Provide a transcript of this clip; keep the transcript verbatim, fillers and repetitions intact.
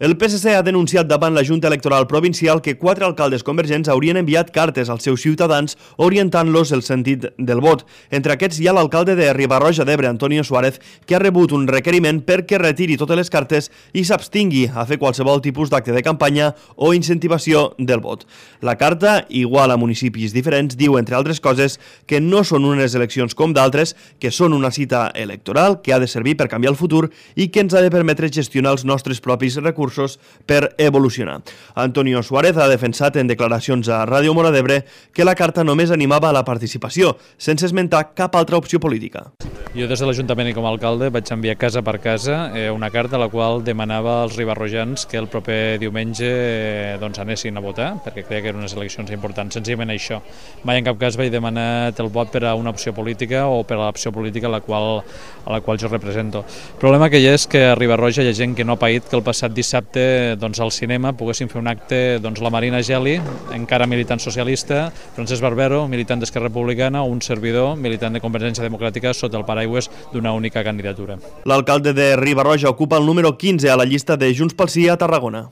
El P S C ha denunciat davant la Junta Electoral Provincial que quatre alcaldes convergents haurien enviat cartes als seus ciutadans orientant-los el sentit del vot. Entre aquests hi ha l'alcalde de Riba-roja d'Ebre, Antonio Suárez, que ha rebut un requeriment perquè retiri totes les cartes i s'abstingui a fer qualsevol tipus d'acte de campanya o incentivació del vot. La carta, igual a municipis diferents, diu, entre altres coses, que no són unes eleccions com d'altres, que són una cita electoral que ha de servir per canviar el futur i que ens ha de permetre gestionar els nostres propis recursos per evolucionar. Antonio Suárez ha defensat en declaracions a Ràdio Móra d'Ebre que la carta només animava a la participació, sense esmentar cap altra opció política. Jo des de l'Ajuntament i com a alcalde vaig enviar casa per casa una carta a la qual demanava als ribarrojans que el proper diumenge doncs, anessin a votar, perquè creia que eren unes eleccions importants, senzillament això. Mai en cap cas vaig demanar el vot per a una opció política o per a l'opció política a la qual, a la qual jo represento. El problema que hi ha és que a Riba-roja hi ha gent que no ha paït que el passat dissabte doncs, al cinema poguessin fer un acte doncs, la Marina Geli, encara militant socialista, Francesc Barbero, militant d'Esquerra Republicana, o un servidor, militant de Convergència Democràtica, sota el paraigües d'una única candidatura. L'alcalde de Riba-roja ocupa el número quinze a la llista de Junts pel Sí a Tarragona.